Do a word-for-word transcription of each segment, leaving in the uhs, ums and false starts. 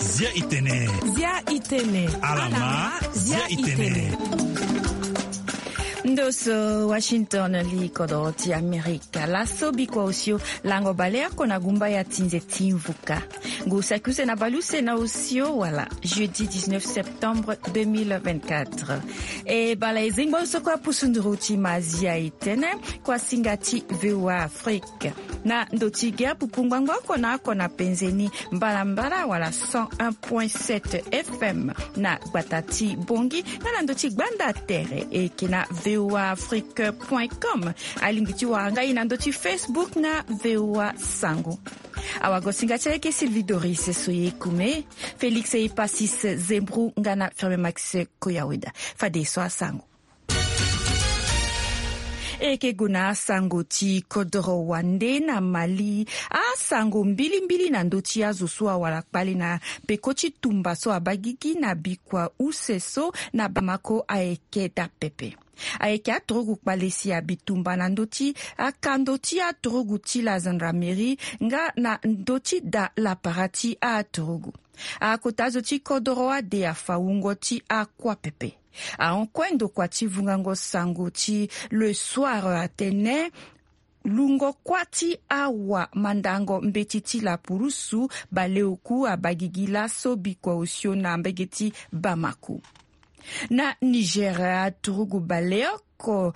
Zia itene. Zia itene. Alama. Zia itene. Ndoso Washington, li kodoro ti Amerika. Laso bikua osio lango baleoko na gumba ya tinze ti mvuka. Ngu saki use na baleuse na osio wala jeudi dix-neuf septembre deux mille vingt-quatre. E bala e zengba osoko apusu nduru ti ma zia itene kua singa ti V O A Afrique. Na ndo ti ge apupu ngbangba oko na oko na penze ni mbalambala wala cent un point sept F M na gbata ti Bongi, nga na ndo ti gbanda tere eke na V O A Afrique point com. Alingbi ti wara nga e na ndo ti Facebook na V O A Sango. Awagosinga ti aleke Sylvie Doris Soye Kume, Félix Epasis Zembru nga na Ferme Max Koyaweda. Fade so asango. E yeke gue na asango ti kodoro wande na Mali. Asango mbilimbili na ndö ti azo so awara kpale na peko ti tumba so abaa gigi na bikua use so na Bamako ayeke daa pepe. Ayeke aturugu kpale si abi tumba na ndö ti akando ti aturugu ti la gendarmerie nga na ndö ti daa lapara ti aturugu. Akota azo ti kodoro ade afa wungo ti akua pepe. Ahon kue ndokua ti vungango sango ti Le Soir atene lungo kuâ ti awamandango mbeti ti lapurusu baleoku abaa gigi laso bikua osio na mbege ti Bamako. Na Niger, aturugu baleoko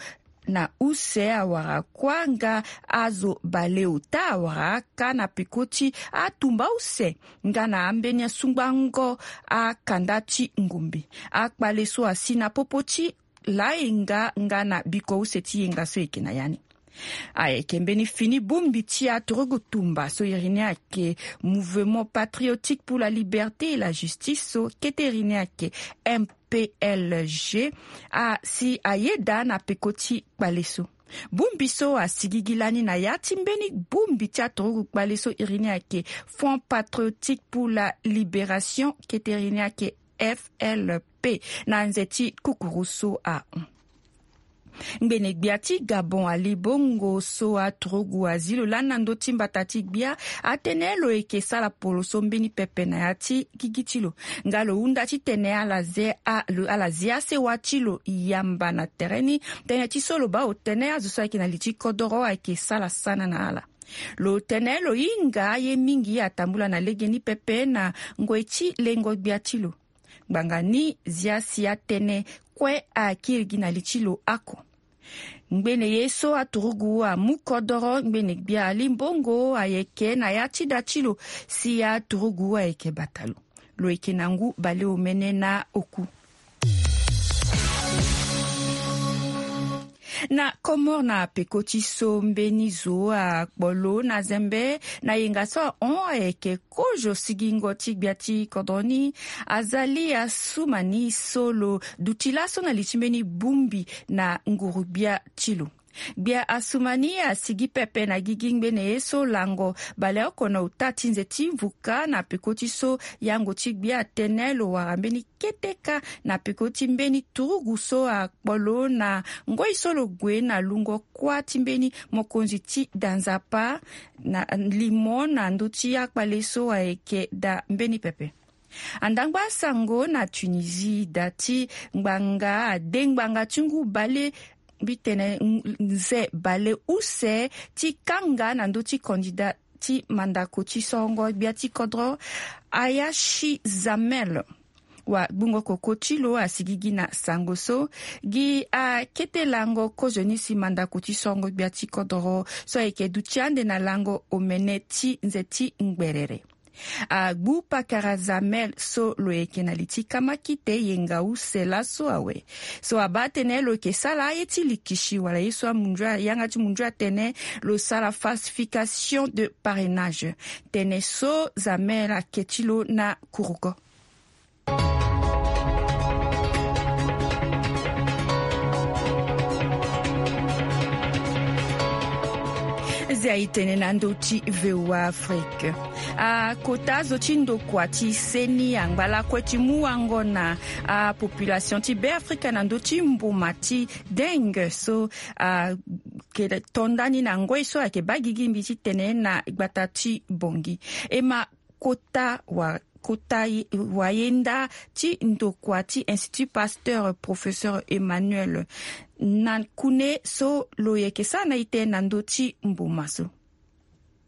na use awara kuâ nga azo baleota awara aka na peko ti atumba use nga na ambeni asungbango akanda ti ngombe. Akpale so asi na popo ti layenga nga na bikua use ti yenga so eke na ya ni. Ayeke mbeni fini bongbi ti aturugu tumba so iri ni ayeke Mouvement Patriotique pour la Liberté et la Justice, so kete iri ni ayeke M P L G, asi ayeda na peko ti kpale so. Bongbi so asigigi lani na ya ti mbeni bongbi ti aturugu kpale so iri ni ayeke Front Patriotique pour la Libération, kete iri ni ayeke F L P, na nze ti kukuru so ahon. Ngbene gbia ti Gabon Ali Bongo so aturugu azi lo lani na ndö ti mbata ti gbia atene lo yeke sara poroso mbeni pepe na ya ti gigi ti lo. Nga lo hunda titene ala ze a- lo- ala zia sewa ti lo yamba na tere ni. Tënë ti so lo baa otene azo so ayeke na li ti kodoro ayeke sara sana na ala. Lo tene lo hinga aye mingi atambula na legeni pepe na ngoi ti lengo gbia ti lo. Ngbanga ni zia si atënë kue akiri gi na li ti lo oko. Ngbene ye so aturugu amu kodoro, ngbene gbia Ali Bongo ayeke na ya ti da ti lo si aturugu ayeke bata lo. Lo yeke na ngu baleomene na oku. Na Comores na peko ti so mbeni zo akpolo na zembe na yenga so ahon ayeke kozo sigingo ti gbia ti kodro ni. Azali Assoumani so lo duti laso na li ti mbeni bongbi na nguru gbia ti lo. Gbia Assoumani asigi pepe na gigi ngbene ye so lango baleoko na ota ti nze ti mvuka na peko ti so yango ti gbia atene lo wara mbeni kete kâ na peko ti mbeni turugu so akpolo na ngoi so lo gue na lungo kuâ ti mbeni mokonzi ti da nzapa na limo na ndö ti akpale so ayeke daa mbeni pepe. Andangba asango na Tunisie, da ti ngbanga ade ngbanga ti ngu bale mbi tene n- nze bale use ti kanga na ndö ti kandida ti mandako ti sorongo gbia ti kodro, Ayachi Zamel. Wa gbungo koko ti lo asigigi na sango so gi akete lango kozoni si mandako ti sorongo gbia ti kodro so ayeke duti ande na lango omene ti nze ti ngberere. Agbu pakara Zamel so lo yeke na li ti kamakite yenga use laso awe. So abaa atene lo yeke sara aye ti likisi wala ye so amunzu a- yanga ti munzu atene lo sara falsification de parrainage. Tene so Zamel ake ti lo na kuruko. Ti aye tene na ndö ti VOA Afrique. Akota zo ti ndokua ti seni angba lakue ti mu wango na apopulation ti Beafrika na ndö ti mbuma ti dengue so ayeke to ndani na ngoi so ayeke baa gigi mbi ti tene na gbata ti Bangui. E ma kota wa kota wayenda ti ndokua ti Institut Pasteur, professeur Emmanuel Nakune so lo yeke sara na ite na ndö ti mbuma so.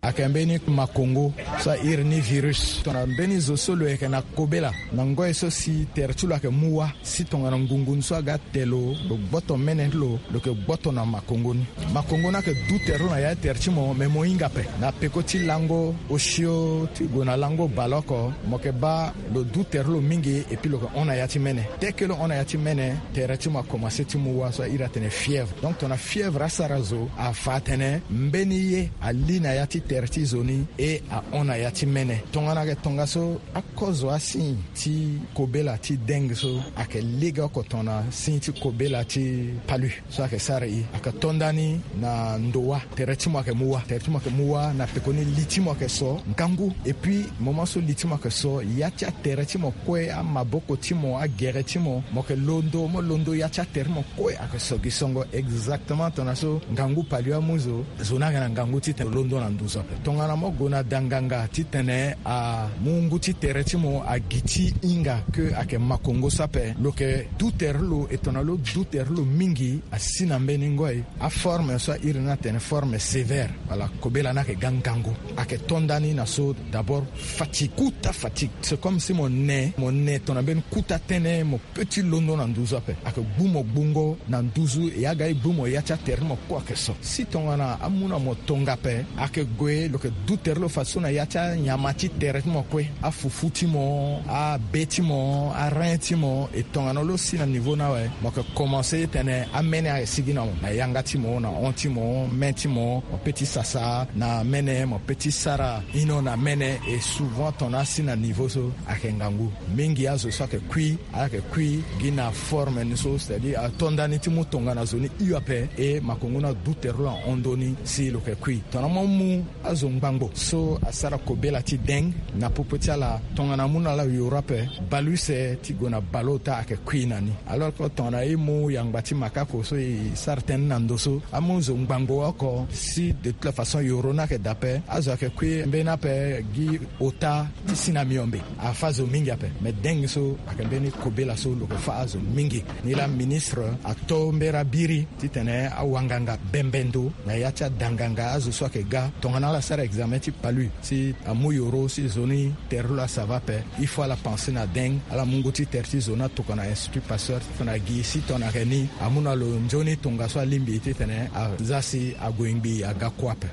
Ayeke mbeni makongo so a iri ni virus tongana mbeni zo so lo yeke na kobela na ngoi so si tere ti lo ayeke mu wâ. Si tongana ngungu ni so aga te lo, lo gboto mene ti lo, lo yeke gboto na makongo ni. Makongo ni ayeke du tere lo na ya ti tere ti mo, me mo hinga ape. Na peko ti lango osio ti gue na lango baleoko, mo yeke baa lo du tere lo mingi, epui lo yeke hon na ya ti mene. Te ke lo hon na ya ti mene, tere ti mo akomanse ti mu wâ so a iri atene fièvre. Donc tongana fièvre asara zo, afa atene mbeni ye ali na ya ti tere ti zo ni, e ahon na ya ti mene. Tongana ayeke tongaso, akozo asigne ti kobela ti dengue so ayeke legeoko tongana signe ti kobela ti palu so ayeke sara e. Ayeke to ndani na ndo wâ. Tere ti mo ayeke mu wâ. Tere ti mo ayeke mu wâ na pekoni li ti mo ayeke so ngangu. Epui moment so li ti mo ayeke so, ya ti atere ti mo kue, amaboko ti mo, agere ti mo, mo yeke londo, mo londo ya ti atere ti mo kue ayeke so gi songo. Exactement tongana so ngangu palu amu zo, zo ni ayeke na ngangu titene lo londo na nduzu ape. Tongana mo gue na danganga titene amu ngu ti tere ti mo agi ti hinga ke ayeke makongo so ape, lo yeke du tere ti lo, e tongana lo du tere ti lo mingi, asi na mbeni ngoi aforme so a iri ni atene forme sévère. Wala kobela ni ayeke ga ngangu. Ayeke to ndani na so d'abord fatigue, kota fatigue. C'est comme si mo ne, mo ne tongana mbeni kota tënë, mo pe ti londo na nduzu ape. Ayeke gbu mo gbungo na nduzu, e aga e gbu mo ya ti atere ti mo kue ayeke so. Si tongana amu na mo tonga ape, ayeke gue lo yeke du tere lo fadeso na ya ti anyama ti tere ti mo kue, afufu ti mo, abe ti mo, arein ti mo. E tongana lo si na niveau ni awe, mo yeke komanse tene amene ayeke sigi na mo, na yanga ti mo, na hon ti mo, main ti mo, mo pe ti sasa na mene, mo pe ti sara ino na mene. E souvent tongana asi na niveau so ayeke ngangu. Mingi azo so ayeke kui, ayeke kui gi na forme ni so, c'est-à-dire ato ndani ti mu tongana zo ni hio ape, e makongo ni adu tere lo ahon ndoni si lo yeke kui. Tongana mo mu azo ngbangbo so asara kobela ti dengue, na popo ti ala, tongana amu na ala yoro ape, bale use ti gue na bale ota ayeke kui na ni. Alors que tongana e mu yangba ti makako so e sara tënë na ndo so, amu zo ngbangbo oko, si de toute la façon yoro ni ayeke daa ape, azo ayeke kui mbeni ape gi ota ti si na miombe. Afa zo mingi ape. Me dengue so ayeke mbeni kobela so lo yeke fa azo mingi. Nilaa ministre ato mbeni abiri titene awanganga bembe ndo na ya ti adanganga azo so ayeke ga. Tongana ala sara examen ti palu, si amu yoro si zo ni tere lo asava ape, il faut ala pense na dengue, ala mu ngu ti tere ti zo ni atokua na Institut Pasteur, tongana gi si tongana ayeke ni, amu na lo nzoni tongaso alingbi titene aza si ague ngbii aga kue ape.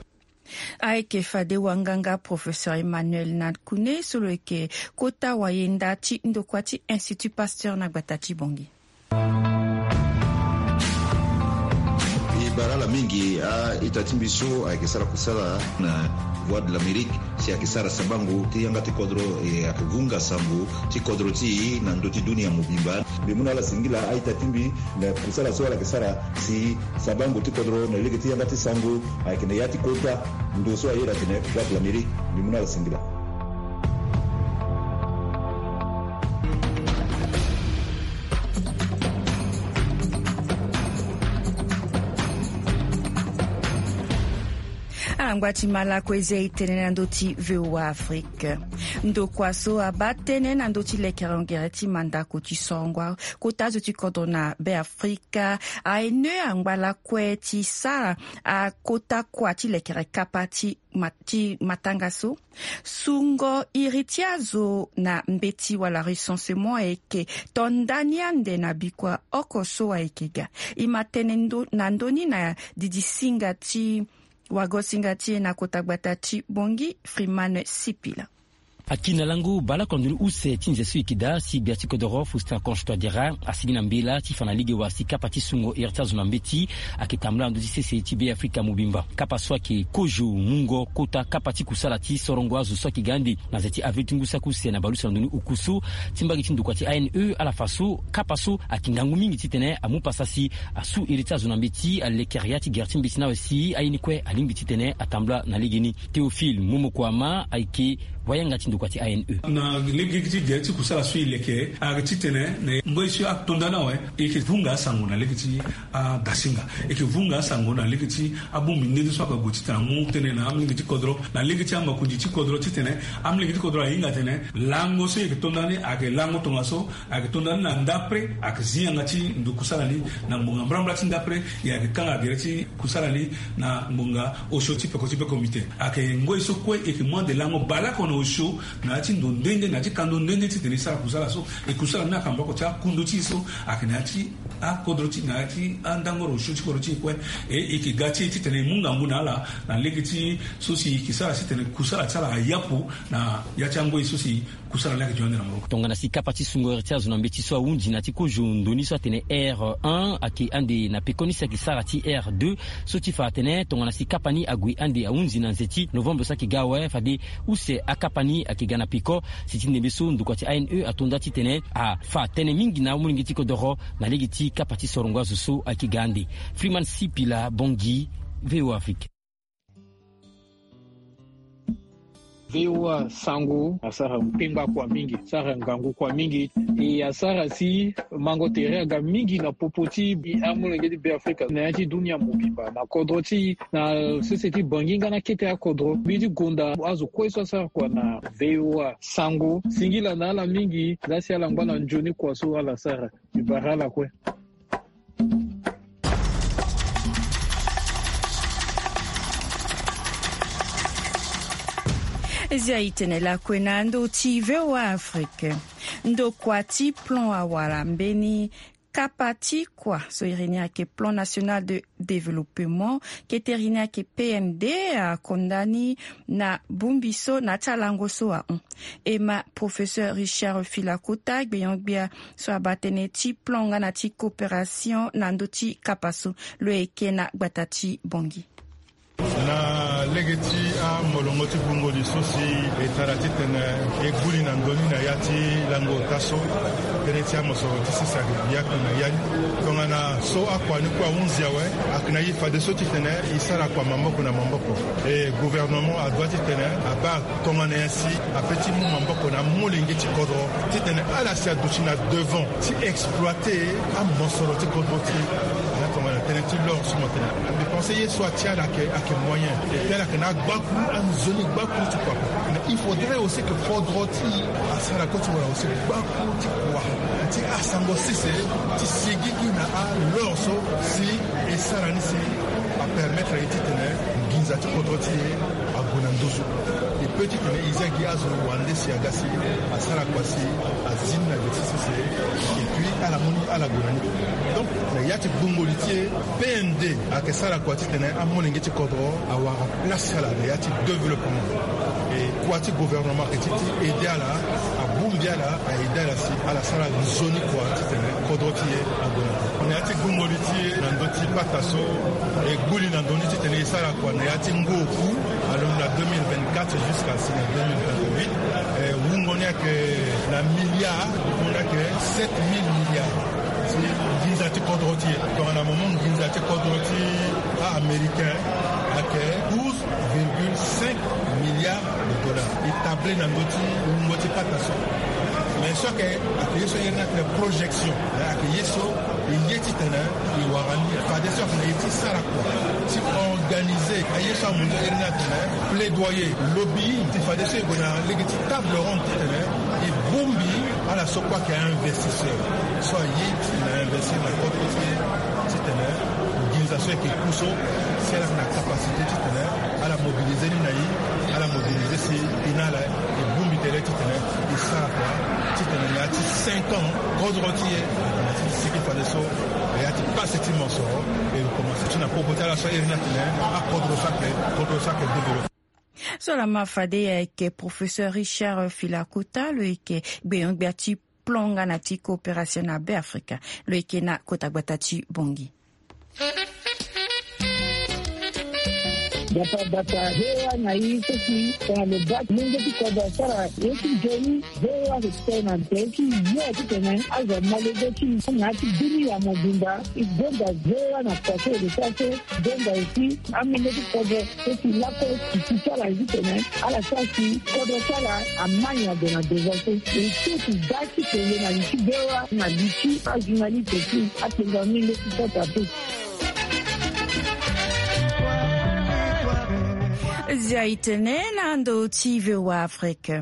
Ayeke fade wanganga professeur Emmanuel Nakune so lo yeke kota wayenda ti ndokua ti Institut Pasteur na gbata ti Bangui. E bara ala mingi. A-ita ti mbi so ayeke sara kusala na Voix de l'Amérique, si ayeke sara sabango ti yanga ti kodro, e ayeke vunga sango ti kodro ti e na ndö ti dunia mobimba. Mbi mu na ala singila a-ita ti mbi na kusala so ala yeke sara si sabango ti kodro na lege ti yanga ti sango ayeke na ya ti kota ndo so a iri atene Voix de l'Amérique. Mbi mu na ala singila. Ala ngba ti ma lakue, e zi e tene na ndö ti VOA Afrique. Ndokua so abaa tënë na ndö ti lekere hongere ti mandako ti sorongo kota zo ti kodro na Beafrika, aye ne angba lakue ti sara akota kua ti lekere kapa ti ma-, ti matanga so. Sungo iri ti azo na mbeti wala recensement ayeke to ndani ande na bikua oko so ayeke ga. E ma tene ndo-, na ndö ni na didi singa ti wagosinga ti e na kota gbata ti Bangui, Freeman Sipila. Aki na lango baleoko na ndoni use ti nze so e yeke daa si gbia ti kodoro Faustin Archange Touadéra asigi na mbela ti fa na lege wa si kapa ti sungo iri ti azo na mbeti ayeke tambula na ndö ti sese ti Beafrika mobimba. Kapa so ayeke kozo mungo kota kapa ti kusala ti sorongo azo so ayeke ga ande na nze ti avril ti ngu saki use na baleuse na ndoni oku so ti mbage ti ndokua ti A N E ala fa so kapa so ayeke ngangu mingi titene amu pasa si asu iri ti azo na mbeti alekere ya ti gere ti mbeti ni awe si aye ni kue alingbi titene atambula na legeni. Théophile Momoko Ama ayeke wayanga ti ndokua ti A N E. Na lege ti gere ti kusala so e leke ayeke titene na ngoi so atonda ni awe e yeke vunga asango na lege ti adasinga, e yeke vunga asango na lege ti abongbi nde so ayeke gue titene amu tënë na amolenge ti kodro na lege ti amakonzi ti kodro titene amolenge ti kodro ahinga atene lango so e yeke tonda ni ayeke lango tongaso. Ayeke tonda ni na ndapre ayeke zi yanga ti ndo kusala ni na ngbonga mbrambra ti ndapre. E ayeke kanga gere ti kusala ni na ngbonga osio ti peko ti be komite. Ayeke ngoi so kue e yeke mu ande lango baleoko na osio na ya ti ndo nde nde na ya ti kando nde nde titene e sara kusala so. E kusala ni ayeke na maboko ti akundu ti e so ayeke na ya ti akodro ti na ya ti andangoro osio ti kodro ti e kue. E e yeke ga ti e titene e mu ngangu na ala na lege ti so si e yeke sara titene kusala ti ala ayapu na ya ti angoi so si kusala laa ayeke dio ande na maboko. Tongana si kapa ti sungo iri ti azo na mbeti so ahunzi na ti kozo ndoni so atene R un ayeke ande na pekoni si ayeke sara ti R deux so ti fa atene tongana si kapa ni ague ande ahunzi na nze ti novembre so ayeke ga awe fade use akapa ni ayeke ga na peko. Si ti ndembe so ndokua ti A N E atonda titene afa tënë mingi na amolenge ti kodoro na lege ti kapa ti sorongo azo so ayeke ga ande. Freeman Sipila Bongi, V O A Afrique. V O A sango asara tengba kua mingi, sara ngangu kua mingi. E asara si mango tere aga mingi na popo ti amolenge ti Beafrika na ya ti dunia mobimba na kodro ti na sese ti Bangi nga na kete akodro. Mbi ti gonda azo kue so asara kua na V O A sango singila na ala mingi. Laa si ala ngba na nzoni kua so ala sara. Mbi bara ala kue. Zia itene lakue na ndo ti V O A Afrique. Ndokua ti plan awara mbeni kapa ti kua so iri ni ayeke plan national de développement kete iri ni ayeke P N D akonda ni na bongbi so na ya ti alango so ahon. E ma professeur Richard Filakota gbenyo-gbia so abaa tënë ti plan nga na ti coopération na ndö ti kapa so lo yeke na gbata ti Bongi. Na lege ti amolongo ti gbungo li so si e tara titene e gbu li na ndoni na ya ti lango ota so tënë ti amosoro ti sese ayeke biaka na ya ni. Tongana so akua ni kue ahunzi awe ayeke na ye fadeso titene e sara kua maboko na maboko. E gouvernement adoit titene abaa tongana nyen si ape ti mu maboko na amolenge ti kodro titene ala si aduti na devant ti exploiter amosoro ti kodro ti e. Na tongana tënë ti l'or so mo tene mbi pense ye so atia ala ayeke moyen. Epui ala yeke na agbakuru anzoni gbakuru ti kua. Mais il faudrait aussi que kodro ti e asara kue ti wara aussi gbakuru ti kua ti asango sese ti sigigi na alor so si e sara ni si apermettre ye titene nginza ti kodro ti e ague na nduzu. E peut titene e zia gi azo wande si aga si asara kua si azi ni na gbe ti sese. Epui ala mu ni ala gue na ni. Donc na ya ti gbungo li ti e P N D ayeke sara kua titene amolenge ti kodro awara place ti ala na ya ti développement. E kua ti gouvernement ayeke ti ti aider ala, abongbi ala, a aider ala si ala sara nzoni kua titene kodro ti e ague na. Na ya ti gbungo li ti e na ndö ti pata so e gbu li na ndö ni titene e sara kua na ya ti ngu oku alondo na deux mille vingt-quatre jusqu'à si na deux mille vingt-huit. E wungo ni ayeke na milliard, wungo ni ayeke sept mille milliards. Ti nginza ti kodro ti e tongana mo mu nginza ti kodro ti a-américain ayeke douze virgule cinq milliards de dollars. E table na ndö ti wungo ti pata so. Mais so ayeke ayeke ye so e iri ni atene projection. Ayeke ye so e ye titene e wara ni fadeso ayeke na ye ti sara kua ti organiser. Aye so amunzu e iri ni atene plaidoyer, lobbying ti fadeso e gue na lege ti table ronde titene e bongbi ala so kue ayeke a-investisseur so aye ti na investir na kodro ti e titene nginza so ayeke ku so si ala yeke na capacité titene ala mobiliser ni na e, ala mobiliser si e na ala e bongbi tere titene e sara kua titene na ya ti cinq ans kodro ti e ayeke na ti sigi fadeso na ya ti pasi ti mosoro e commencer ti na popo ti ala so e iri ni atene akodro so ayeke kodro so ayeke développer. So lama fade ayeke professeur Richard Filakota, lo yeke gbenyo-gbia ti plan nga na ti coopération na Beafrika, lo yeke na kota gbata ti Bangui. Bata bata V O A na i so si tongana lo baa ti lenge ti kodro asara ye ti nzoni, V O A ayeke tene na nze ti yo titene azo amolenge ti na ya ti bini ya mobimba. E gonda V O A na kua so e lo sara so, gonda aussi amolenge ti kodro so si lakue ti ti ti ala ye titene ala sara si kodro ti ala amai ague na devant so. E so si da ti kele na li ti V O A na li ti ajournaliste ti atenga mingi ti kota pe. Zia e tene na ndo ti V O A Afrique.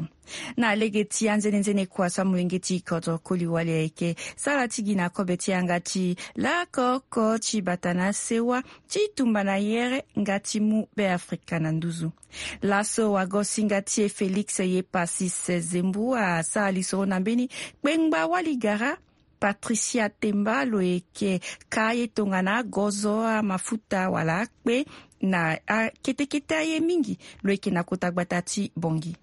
Na lege ti anzenenzene kua so amolenge ti kodro koli wali ayeke sara ti gi na kobe ti yanga ti lako oko ti bata na sewa ti tumba na yere nga ti mu Beafrika na nduzu. Laso wagosinga ti e Félix Yepassis Zembu asara lisoro na mbeni kpengba wali gara Patricia Temba, lo yeke ka ye tongana gozo amafuta wala akpe na akete kete aye mingi. Lo yeke na kota gbata ti Bangui.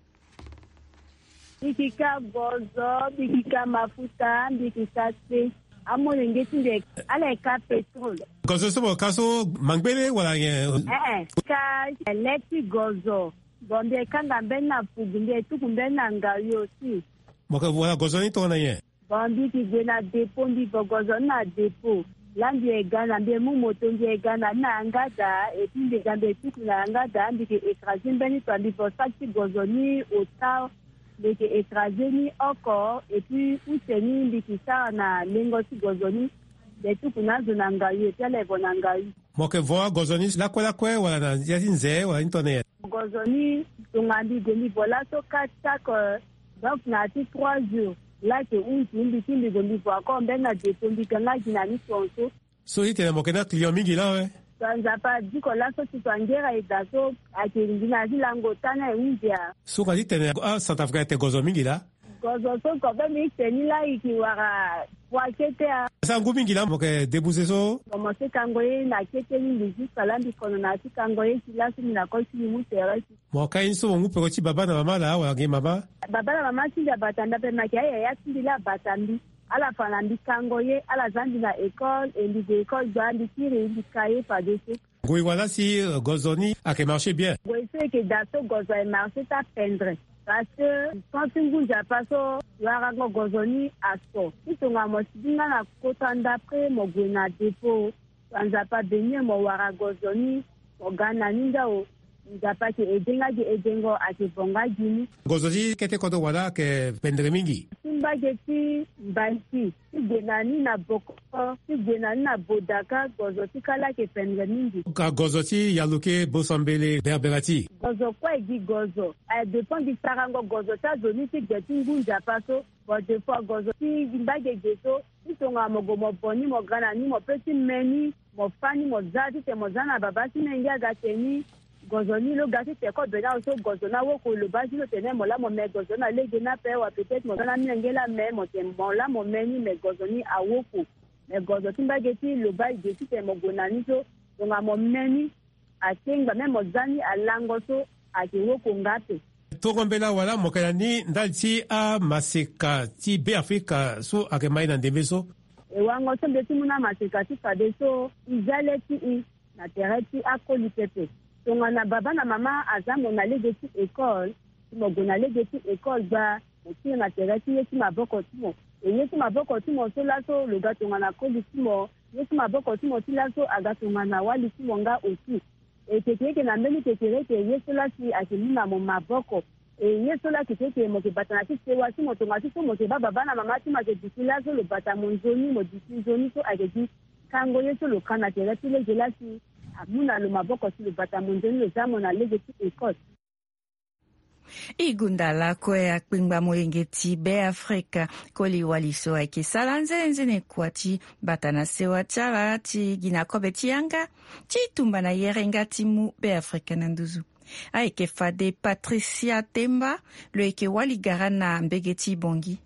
Mbi yeke ka gozo, mbi yeke ka mafuta, mbi yeke ka kpe. Amolenge ti mbi ala yeke ka pétrole. Gozo so mo ka so mangbele wala nyen? Ee, ka lê ti gozo. Bon, mbi yeke kanga mbeni na pugu, mbi yeke tuku mbeni na ngayo aussi. Mo yeke vo wala gozo ni tongana nyen? Bon, mbi yeke gue na dépôt, mbi vo gozo ni na dépôt. Laa mbi yeke ga na mbi yeke mu moto, mbi yeke ga na ni na yanga daa, et puis mbi yeke ga mbi yeke tuku na yanga daa, mbi yeke écraser mbeni to, mbi vo sac ti gozo ni ota, mbi yeke écraser ni oko, et puis use ni mbi yeke sara na lengo ti gozo ni, mbi yeke tuku na azo na ngayo, et puis ala yeke vo na ngayo. Mo yeke vo agozo ni lakue lakue wala na ya ti nze wala ni tongana nyen? Gozo ni, tongana mbi gue mbi vo laso quatre sacs, euh, donc na ya ti trois jours, laa ayeke hunzi mbi ti mbi gue mbi vo encore mbeni na dépôt, mbi ga nga gi na ni tongaso. So titene mo yeke na client mingi laa awe? Tonga Nzapa, diko laso ti tongana ngera e daa so ayeke ngi na ya ti lango ota ni aye hunzi ya. So ka titene aCentrafricain atene gozo mingi laa? Gozo so kobe mbi tene ni laa e yeke wara poids kete ya. Sa ngu mingi laa mo yeke débourser so? Bon, mo si kango ye na kete ni mbi jusqu'à laa mbi kono na ya ti kango ye ti laso mbi na koli ti mbi mu tere ti. Mo ka ye ni so mo mu peko ti baba na mama laa wala nge mama? Baba na mama ti mbi abata mbi ape, me ayeke ayaya ti mbi laa abata mbi. Ala fa na mbi kango ye, ala za mbi na école, e mbi gue école gbaa, mbi kiri, mbi ka ye fadeso. Ngoi wala si, euh, gozo ni ayeke marché bien? Ngoi so e yeke daa so gozo aye marché ti apendre. Parce que temps ti ngu Nzapa so, warango gozo ni aso. Ti tongana mo sigi nga na kota ndapre mo gue na dépôt. Nzapa bénir mo wara gozo ni, mo ga na ni ndao. Nzapa ayeke aidé nga gi aidengo, ayeke vo nga gi ni. Gozo ti kete kodro wala ayeke pendere mingi. Ti mbage ti Mbanti, ti gue na ni na Bokoko, ti gue na ni na Bodaka, gozo ti kala ayeke pendere mingi. Ka gozo ti Yaloke, Bosambele, Berberati. Gozo kue gi gozo. Aye dépend gi sarango gozo ti azo ni ti gbe ti ngu Nzapa so. Bon, des fois gozo ti gi mbage ge so, ti tongana mo gue mo bo ni, mo ga na ni, mo pe ti me ni, mo fâ ni, mo za titene mo za na babâ ti menge aga tene ni. Gozo ni lo ga titene kobe ni awe so, gozo ni awoko, lo bâ ti lo tene mo laa mo me gozo ni na lege ni ape, wa peut-être mo za na amenge laa me, mo tene mo laa mo me ni, me gozo ni awoko. Me gozo ti mbage ti lo bâ e ge titene mo gue na ni so, tongana mo me ni, akengba, même mo za ni alango so, ayeke woko nga ape. Tongo mbela wala mo yeke na ni ndali ti amaseka ti Beafrika so ayeke ma e na ndembe so? E wango so mbi ye ti mu na amaseka ti fadeso, e za le ti e na tere ti akoli pepe. Tongana babâ na mama aza mo na lege ti école, si mo gue na lege ti école gbaa, mo kiri na tere ti ye ti maboko ti mo. E ye ti maboko ti mo so laso lo ga tongana koli ti mo, ye ti maboko ti mo ti laso aga tongana wali ti mo nga aussi. E keke eke na mbeni kekereke ye so laa si ayeke mu na mo maboko. E ye so laa keke eke mo yeke bata na ti sewa ti mo, tongana ti so mo yeke baa babâ na mama ti mo ayeke duti laso lo bata mo nzoni, mo duti nzoni so ayeke gi kango ye so lo ka na tere ti lege laa si amu na lo maboko si lo bata mo nzoni, lo za mo na lege ti école. E gonda lakue akpengba molenge ti Beafrika, koli wali so ayeke sara nzenenzene kua ti bata na sewa ti ala ti gi na kobe ti yanga ti tumba na yere nga ti mu Beafrika na nduzu. Ayeke fade Patricia Temba, lo yeke wali gara na mbege ti Bangui.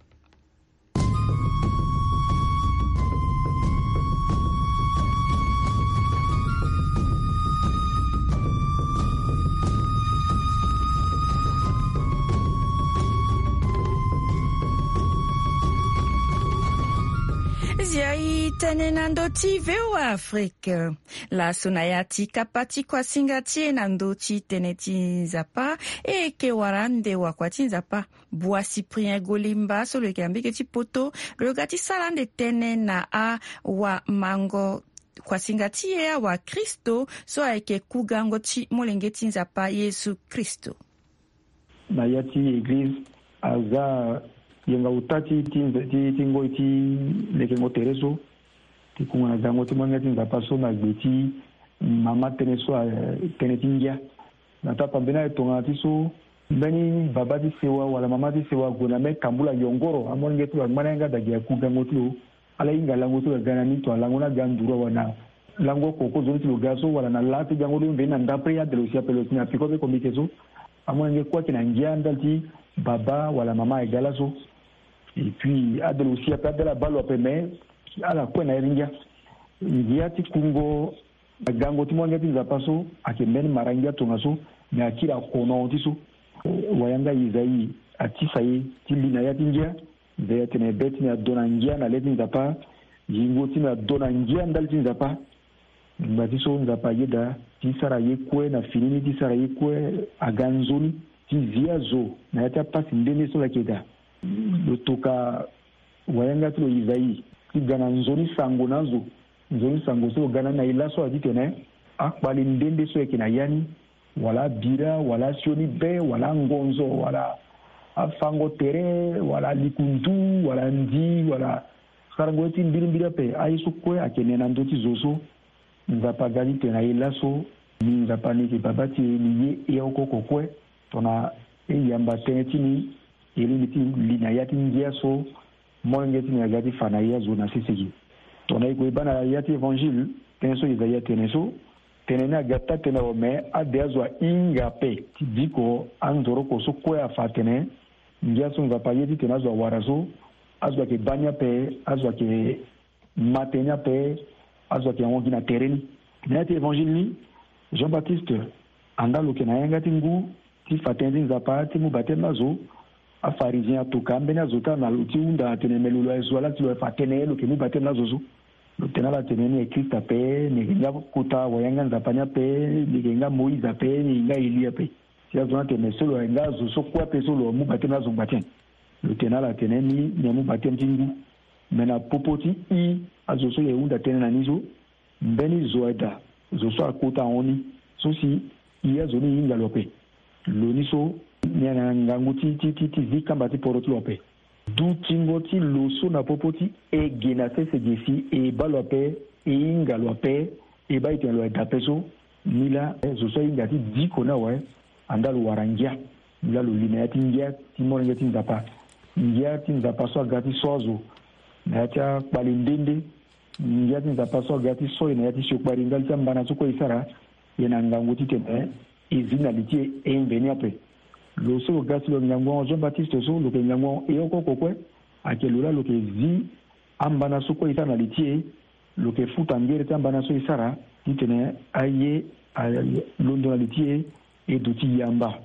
Ti a i tënë na ndö ti V O A Afrique. Laso na ya ti kapa ti kuasinga ti e na ndö ti tënë ti Nzapa, e yeke wara ande wakua ti Nzapa, Bua Cyprien Golimba, so lo yeke na mbege ti poto, lo ga ti sara ande tënë na awamango kuasinga ti e, awa Kristo, so ayeke kugango ti molenge ti Nzapa Yezu Kristo. Na ya ti eglize, aza yenga ota ti, ti, ti, ti ngoi ti lekengo tere so, ti kunga na gango ti molenge ti Nzapa so na gbe ti mama tënë so, eh, tënë ti ngia. Na ta pambeni aye tongana ti so, mbeni baba ti sewa wala mama ti sewa ague na mbeni kambula yongoro, amolenge ti lo angba na yanga daa gi aku gango ti lo. Ala hinga lango ti lo aga na ni, to alango ni aga nduru awe na lango oko oko zo ni ti lo ga so, wala na laa ti gango ti lo mveni na ndapre, ade lo si ape lo si na peko be komite so. Amolenge kue ayeke na ngia ndali ti baba wala mama aye ga laso. Et puis ade lo si ape, ade ala baa lo ape, mais ala kue na iri ngia. Ngia ti kungo na gango ti molenge ti Nzapa so ayeke mbeni mara ngia tongaso, me akiri akono ti so. Wayanga Isaïe atisa e ti li na ya ti ngia. Mbi atene be ti mbi ado na ngia na le ti Nzapa, yingo ti mbi ado na ngia ndali ti Nzapa. Ngba ti so Nzapa ayeda ti sara ye kue na fini ni, ti sara ye kue aga nzoni ti zi azo na ya ti apasi nde nde so lo yeke daa. Lo toka wayanga ti lo Isaïe ti ga na nzoni sango na azo. Nzoni sango so lo ga na ni na e laso aye titene akpali nde nde so ayeke na ya ni, wala abira, wala asioni be, wala angonzo, wala afango tere, wala alikundu, wala ndi, wala sarango ye ti mbirimbiri ape. Aye so kue ayeke ne na ndö ti zo so. Nzapa aga titene na e laso, ni Nzapa ni yeke baba ti e, ni ye e oko oko kue. Tongana e yamba tënë ti ni, e lingbi ti li na ya ti ngia so molenge ti ni aga ti fa na e azo na sese ge. Tongana e gue e baa na ya ti Évangile, tënë so Isaïe atene so, tene ni aga taa-tënë awe, me ade azo ahinga ape ti diko anzoroko so kue afa atene ngia so Nzapa aye titene azo awara so, azo ayeke baa ni ape, azo ayeke ma tënë ni ape, azo ayeke hongi na tere ni. Na ya ti Évangile ni, Jean-Baptiste, anda lo yeke na yanga ti ngu ti fa tënë ti Nzapa ti mu bateme na azo. Afarizien atoka ambeni azo ti ala na lo ti hunda atene me lo, lo aye zo wa la ti lo aye fa tënë lo yeke mu bateme na azo so. Lo tene na ala atene ni aye Christ ape, ni yeke nga kota wayanga Nzapa ni ape, ni yeke nga Moïse ape, ni yeke nga Élie ape. Si azo ni atene so lo aye nga azo so kue ape so lo amu bateme na azo ngba ti nyen? Lo tene na ala atene ni, ni amu bateme ti ngu. Me na popo ti i azo so e hunda tënë na ni so, mbeni zo aye daa, zo so akota ahon ni, so si i azo ni e hinga lo ape. Lo ni so, ni ayeke na ngangu ti, ti, ti, ti zi kamba ti poro ti lo ape. Dutingo ti lo so na popo ti e ge na sese ge si e baa lo ape, e hinga lo ape, e baa e tene lo aye daa ape so, ni laa, eh, zo so ahinga ti diko ni awe, andaa lo wara ngia. Ni laa lo li na ya ti ngia ti molenge ti Nzapa. Ngia ti Nzapa so aga ti so azo na ya ti akpali nde nde. Ngia ti Nzapa so aga ti so e na ya ti siokpari ndali ti ambana so kue e sara, e na ngangu titene e zi na li ti e, e mveni ape. Lo so lo ga si lo ngangu ahon Jean-Baptiste so, lo yeke ngangu ahon e oko oko kue. Ayeke lo laa lo yeke zi ambana so kue e sara na li ti e. Lo yeke futa ngere ti ambana so e sara titene aye alondo na li ti e, e duti yamba.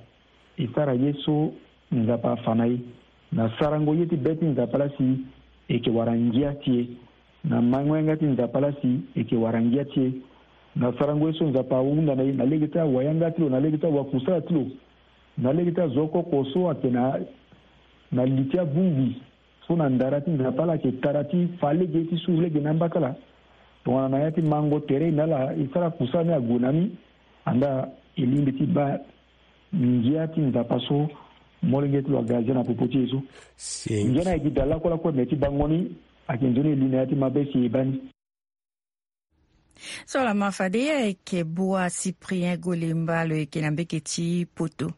E sara ye so Nzapa afa na e. Na sarango ye ti be ti Nzapa laa si e yeke wara ngia ti e. Na mango yanga ti Nzapa laa si e yeke wara ngia ti e. Na sarango ye so Nzapa ahunda na e na lege ti awayanga ti lo, na lege ti awakusala ti lo, na lege ti azo oko oko so ayeke na, na li ti abongbi so na ndara ti Nzapa laa ayeke tara ti fa lege ti su lege na amba ti ala. Tongana na ya ti mango tere na ala e sara kusala ni ague na ni, andaa e lingbi ti baa ngia ti Nzapa so molenge ti lo aga azia na popo ti e so. Ngia ni ayeke gi daa lakue lakue, me ti bango ni ayeke nzoni e li na ya ti mabe si e baa ni. So lama fade, ayeke Bua Cyprien Golemba, lo yeke na mbeke ti poto.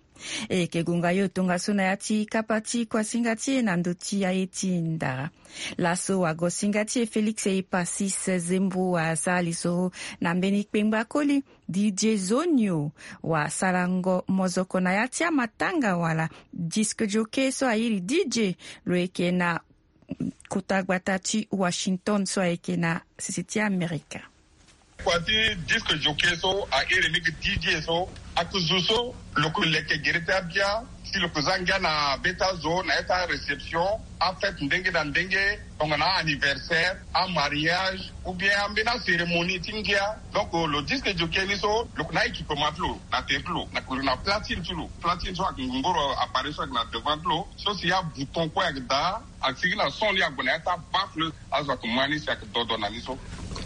E yeke gonga yo tongaso na ya ti kapa ti kuasinga ti e na ndö ti aye ti ndara. Laso wagosinga ti e Félix Epasis Zembo asara lisoro na mbeni kpengba koli D J Zonio, wasarango mozoko na ya ti amatanga wala disc jockey so airi D J, lo yeke na kota gbata ti Washington so ayeke na sese ti Amerika. Kua ti disque jockey so, a iri mingi D J so, ake zo so lo ke leke gere ti abia, si lo ke za ngia na be ti azo na ya ti aréception, afête ndenge na ndenge, tongana anniversaire, amariage, ou bien ambeni acérémonie ti ngia. Donc lo disque jockey ni so lo ke na équipement ti lo na tere ti lo, na, na platine ti lo. Platine so ake ngongoro appareil so ake na devant ti lo, so si abouton kue ake daa, ake sigi na son ni ague na ya ti abaffle, azo ake ma ni si ake dodo na ni so.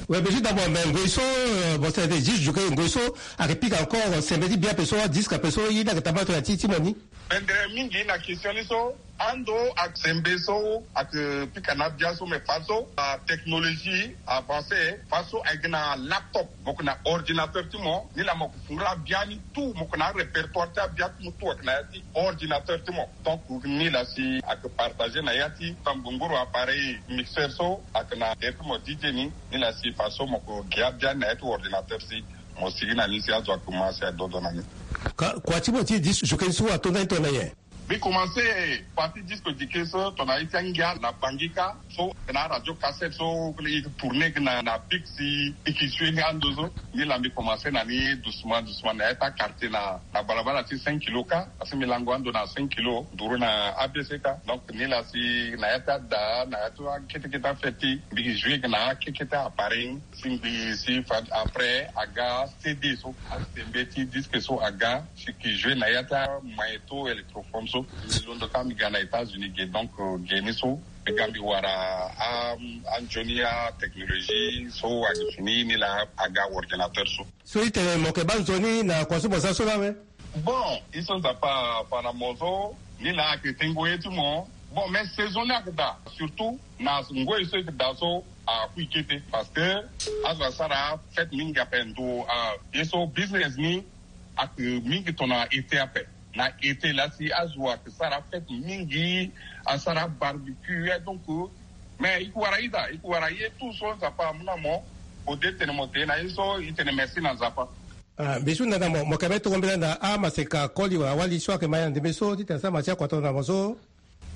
Ouais, mais juste d'abord, mais ngoi so, euh, bon, c'est juste jockey, ngoi so ake pika encore sembe ti bia ape so, disque ape so, ye ni ake tambula tongana ti ti mo ni. Bendere mingi na question ni so. Ando ake sembe so ake pika na abia so, mais faso atechnologie avancée, faso ayeke na laptop, mo yeke na ordinateur ti mo, ni laa mo yeke fungula abia ni tout, mo yeke na arépertoire ti abia ti mo tout ayeke na ya ti ordinateur ti mo. Donc ni laa si ake partager na ya ti tambongoro appareil mixeur so ake na tere ti mo D J ni, ni laa si faso mo yeke gi abia ni na ya ti ordinateur si mo sigi na ni si azo ake ma si adodo na ni. Ka, kua ti mo ti disque jockey so ato ndani tongana nyen? Mbi commencé partie disque jockey so tongana ye ti angia na Bangui kâ, so na radio cassette so e yeke tourner na, na pic si e yeke jouer ni ando so. Ni laa mbi commencé na ni doucement doucement na ya ti aquartier na, na balabala ti cinq kilos kâ, parce que mbi lango ando na cinq kilos nduru na A B C kâ. Donc ni laa si na ya ti ada, na ya ti akete kete afête, mbi yeke jouer na akete kete appareil. Si mbi si fa après aga C D so, asembe ti disque so aga, si ki jouer na ya ti amagnéto électrophone so. Mbi londo kâ mbi ga na États-Unis ge, donc euh, ge ni so mbi ga mbi wara a, anzoni atechnologie so ake fini, ni laa aga ordinateur so. So i tene mo yeke baa nzoni na kua so mo za so laa awe? Bon, i so Nzapa afa na mo so, ni laa ake tengo ye ti mo. Bon, mais saison ni ake daa, surtout na ngoi so eke daa so, akui kete, parce que azo asara fête mingi ape ndo, ah, ye so business ni ake mingi tongana été ape. Na été laa si azo ake sara fête mingi, asara barbecue, eh, donc, mais i ke wara ida, i ke wara ye tout so Nzapa amu na mo. Ode tene mo te na ye so, i tene merci na Nzapa. Ah, mbi su nda na mo, mo yeke be tongo mbela na amaseka koli wala wali so ayeke ma ya na ndembe so titene asara ma ti akua tongana mo so.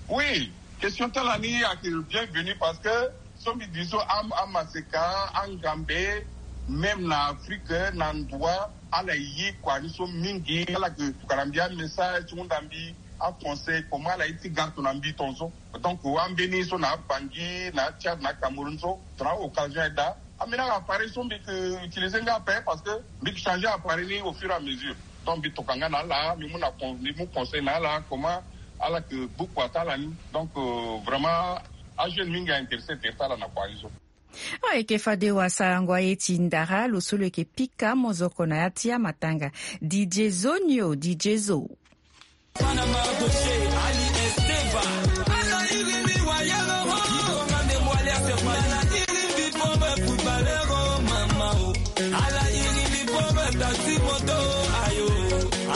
Oui, question ti ala ni ayeke bienvenu parce que so mbi di so am, amaseka, angambe, même na Afrique, na ndoa, ala ye kua ni so mingi, ala yeke tokana mbi amessage ti hunda mbi, aconseil, comment ala ye ti ga tongana mbi tongaso. Donc ambeni so na Bangui, na Tchad, na Cameroun so, tongana occasion aye daa, ambeni appareil so mbi yeke utiliser nga ape parce que mbi yeke changer appareil ni au fur et à mesure. Donc mbi toka nga na ala, mbi mu na con, mbi mu conseil na ala comment ala yeke gbu kua ti ala ni. Donc euh, vraiment ajeune mingi a intéressé tere ti ala na kua ni so. Ayeke fade wasarango aye ti ndara lo so lo yeke pika mozoko na ya ti amatanga. D J Zonio, D J Zo. Panama Gaucher, Ali Esteva. Ala iri mbi wayeur, oh. Ala iri mbi pauvre footballeur, oh, mama, oh. Ala iri mbi pauvre taxi moto, ayo.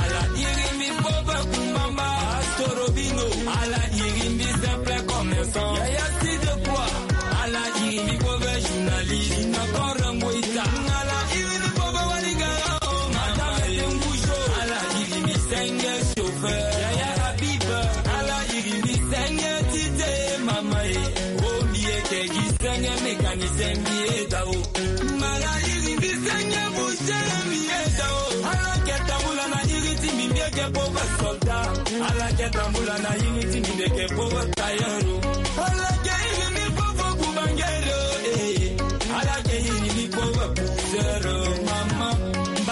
Ala iri mbi pauvre kumbamba, Astro Robinho. Ala iri mbi simple commerçant. Yaya si de quoi? Ala iri mbi pauvre journaliste. Ina Korango Ita. Ala iri mbi pauvre Waligara, oh, madame Dengoujo. Ala iri mbi senge chauffeur. Yaya Habib. Ala iri mbi senge tite, mama e. Oh, mbi yeke gi senge mécanicien mbi eda, oh. Ala iri mbi senge boucher mbi eda, oh. Ala yeke tambula na iri ti mbi, mbi yeke pauvre soldat. Ala yeke tambula na iri ti mbi, mbi yeke pauvre tailleur, oh. Ala yeke iri mbi pauvre boubangueur, oh, eh. Ala yeke iri mbi pauvre pousseur, oh, mama.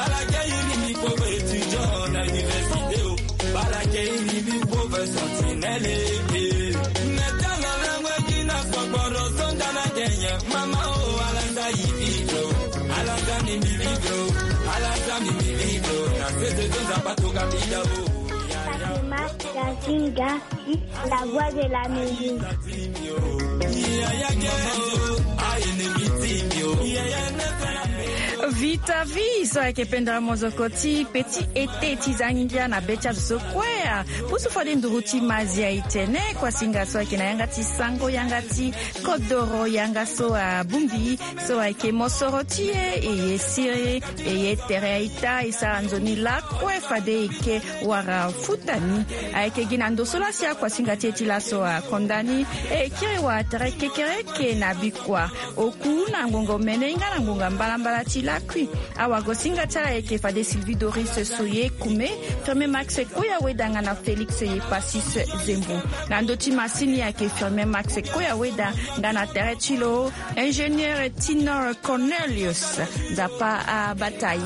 Ala yeke iri mbi pauvre étudiant na université, oh. Ala yeke iri mbi pauvre sentinelle, eh, eh. Mais tala langue gi na sokporo so nda na Kenya. Mama, oh, ala za i vivre, oh. Ala za mbi mbi vivre, oh. Ala za mbi mbi vivre, oh. Na sese so Nzapa atoka mbi da, oh. Fatima Kazinga, la voix de la musique. Vita vi so ayeke pendere mozoko ti petit été ti zangingia na be ti azo so kue. Pusu fade nduru ti mazia e tene kuasinga so ayeke na yanga ti sango, yanga ti kodoro, yanga so abongbi so ayeke mosoro ti e, e ye siri, e ye tere aita, e sara nzoni lakue fade e ke wara futa ni. Ayeke gi na ndo so laa si akuasinga ti e ti laso akonda ni, e kiri wara tere kekereke na bikua oku na ngonga omene nga na ngonga mbalambala ti Akui. Awagosinga ti ala ayeke fade Sylvie Doris Soye Kume, Firmin Max Koya Weda nga na Félix Yepasis Zembo. Na ndö ti masini ayeke Firmin Max Koya Weda nga na tere ti lo ingénieur Tinor Cornelius. Nzapa abata e.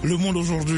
Le monde aujourd'hui.